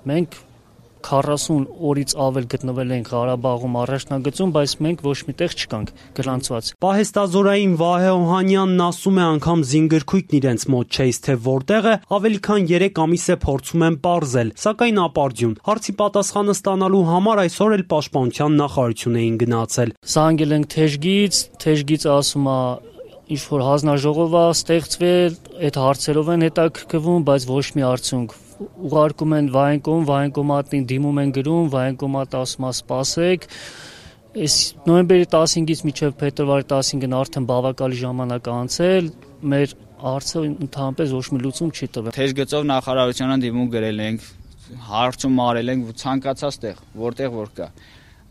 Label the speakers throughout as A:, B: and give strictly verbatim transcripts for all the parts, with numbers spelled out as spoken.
A: Մենք քառասուն օրից ավել գտնվել ենք Ղարաբաղում առաջնագծում, բայց մենք ոչ միտեղ չկանք գրանցված։
B: Պահեստազորային Վահե Օհանյանն ասում է, անգամ զինգրքույկն իրենց մոտ չէ, թե որտեղ է, ավելի քան երեք ամիս է փորձում են պարզել, սակայն ապարդյուն։ Հարցի պատասխանը ստանալու համար այսօր էլ Պաշտպանության նախարարություն էին գնացել։
A: Զանգել ենք Թեժգից, Թեժգից ասում է ինչ որ հանձնաժողով է ստեղծվել, այդ հարցերով են հետաքրքրվում, բայց ոչ մի արդյունք։ Ուղարկում են վայնկոմ, վայնկոմատին դիմում են գրում, վայնկոմատը ասում է սպասեք։ Այս նոյեմբերի տասնհինգից մինչև փետրվարի տասնհինգն արդեն բավականին ժամանակ անցել, մեր հարցը ընդհանրապես ոչ մի լուծում չի տվել։
C: Թեժգծով նախարարությանը դիմում գրել ենք, հարցում արել ենք ցանկացած տեղ, որտեղ որ կա։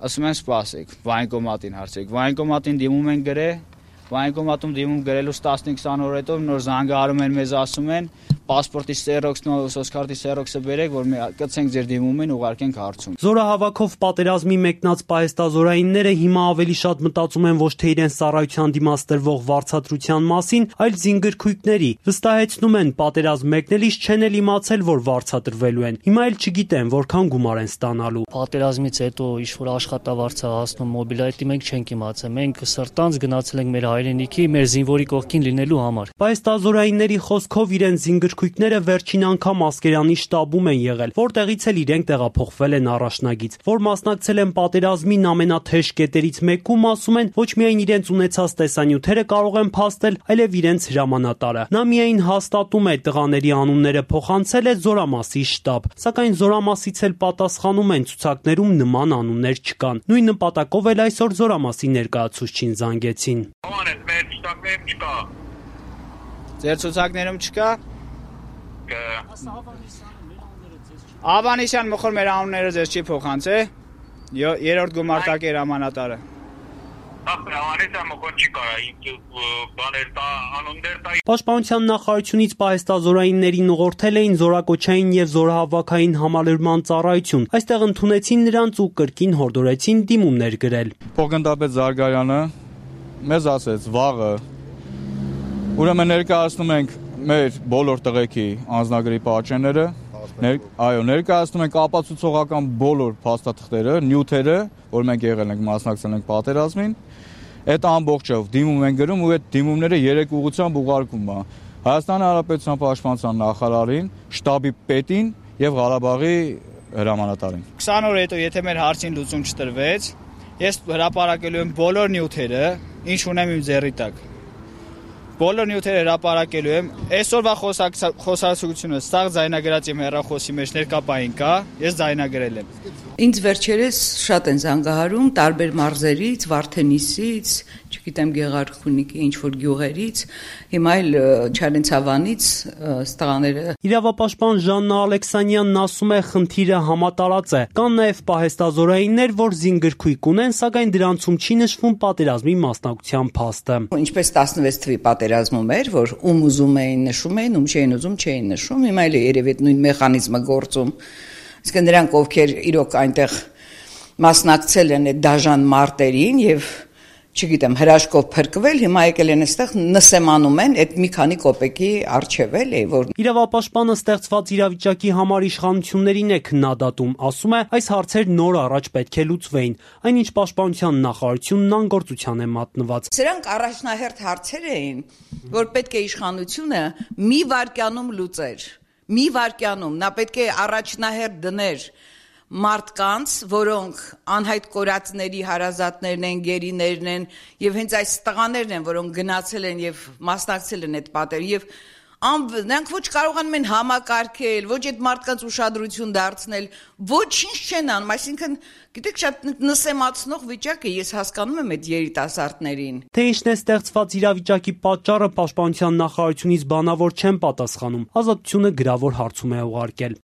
C: Ասում են սպասեք, վայնկոմատին հարցեք։ Վայնկոմատին դիմում են գրել, վայնկոմատում դիմում գրելուց տասնհինգ քսան օր հետո նոր զանգահարում են մեզ ասում են պասպորտի սերոքսն ու սոցկարտի սերոքսը բերեք, որ մի կցենք ձեր դիմումին, ուղարկենք հարցում։
B: Զորահավաքով պատերազմի մեկնած պահեստազորայինները հիմա ավելի շատ մտածում են ոչ թե իրենց ծառայության դիմաց տրվող վարձատրության մասին, այլ զինգրքույկների։ Վստահեցնում են, պատերազմ մեկնելիս չեն էլ իմացել, որ վարձատրվելու են։ Հիմա էլ չգիտեն, որքան գումար են ստանալու։
A: Պատերազմից հետո ինչ-որ աշխատավարձ է հասնում մոբիլայտի, մենք չենք իմացել։ Մենք սրտանց գնացել ենք մեր հայրենիքի, մեր զինվորի կողքին լինելու համար։
B: Պահեստազորայինների խոսքով իրենց զինգրքույկները վերջին անգամ Ասկերանի շտաբում են եղել, որտեղից էլ իրենք տեղափոխվել են առաջնագից, որ մասնակցել են պատերազմին ամենաթեժ կետերից մեկում, ասում են, ոչ միայն իրենց ունեցած տեսանյութերը կարող են փաստել, այլև իրենց հրամանատարը։ Նա միայն հաստատում է տղաների անունները փոխանցել է Զորամասի շտաբ, սակայն Զորամասից էլ պատասխանում են ցուցակներում նման անուններ չկան։ Նույն նպատակով էլ այսօր Զորամասի ներկայացուցչին զանգեցին։
D: Մեր ցուցակներում չկա։
C: Ձեր ցուցակներում չկա։ Ավանեսյան մոխոր մեր անունները ձեզ չի փոխանցե։ Երրորդ գումարտակի հրամանատարը։
D: Ավանեսյան մոխոր չի կարա, բաներ տա, անուններ տա։
B: Պաշտպանության նախարարությունից պահեստազորայիններին ուղղորդել էին զորակոչային եւ զորահավաքային համալրման ծառայություն։ Այստեղ ընդունեցին նրանց ու կրկին հորդորեցին դիմումներ գրել։
E: Փոխգնդապետ Զարգարյանը մեզ ասեց վաղը, ուրեմն ներկայացնում ենք մեր բոլոր տղեկի անձնագրի պատճենները, այո, ներկայացնում ենք ապացուցողական բոլոր փաստաթղթերը, նյութերը, որ մենք եղել ենք, մասնակցել ենք պատերազմին, այդ ամբողջով դիմում են գրում ու այդ դիմումները երեք ուղղությամբ ուղարկում է Հայաստանի Հանրապետության Պաշտպանության նախարարին, շտաբի պետին եւ Ղարաբաղի հրամանատարին։
C: քսան օր հետո եթե մեր հարցին լուծում չտրվեց, ես հրապարակելու եմ բոլոր նյութերը, ինչ ունեմ իմ ձեռի տակ։ Բոլոր նյութերը հրապարակելու եմ։ Այսօրվա խոսակցությունը սաղ ձայնագրած իմ հեռախոսի մեջ ներկապային կա, ես ձայնագրել եմ։
F: Ինձ վերջերս շատ են զանգահարում տարբեր մարզերից, Վարդենիսից, չգիտեմ Գեղարքունիքի ինչ որ գյուղերից, հիմա էլ Չարենցավանից ստղաները։
B: Իրավապաշտպան Ժաննա Ալեքսանյանն ասում է, խնդիրը համատարած է։ Կան նաև պահեստազորայիններ, որ զինգրքույկ ունեն, սակայն դրանցում չի նշվում պատերազմի մասնակցության փաստը։
F: Ինչպես տասնվեց թվականի պատերազմում էր, որ ում ուզում էին նշում էին, ում չէին ուզում չէին նշում, հիմա էլ երևի այդ նույն մեխանիզմը գործում։ Իսկ նրանք ովքեր իրոք այնտեղ մասնակցել են այդ դաժան մարտերին եւ չգիտեմ հրաշքով փրկվել, հիմա եկել են այստեղ նսեմանում են այդ մի քանի կոպեկի արժև էլի, որ
B: Իրավապաշտպանը ստեղծված իրավիճակի համար իշխանություններին է քննադատում, ասում է, այս հարցեր նոր առաջ պետք է լուծվեին, այնինչ Պաշտպանության նախարարությունն անգործության է մատնված։
F: Սրանք առաջնահերթ հարցեր էին, որ պետք է իշխանությունը մի վայրկյանում լուծեր, մի վայրկյանում, նա պետք է առաջնահերթ դներ մարդկանց, որոնք անհայտ կորածների հարազատներն են, գերիներն են եւ հենց այս տղաներն են, որոնք գնացել են եւ մասնակցել են այդ պատերին եւ նրանք ոչ կարողանում են համակարգել, ոչ այդ մարդկանց ուշադրություն դարձնել, ոչինչ չեն անում, այսինքն գիտեք շատ նսեմացնող վիճակ է, ես հասկանում եմ այդ երիտասարդներին։
B: Թե ինչն է ստեղծված իրավիճակի պատճառը Պաշտպանության նախարարությունից բանավոր չեն պատասխանում, Ազատությունը գրավոր հարցում է ուղարկել։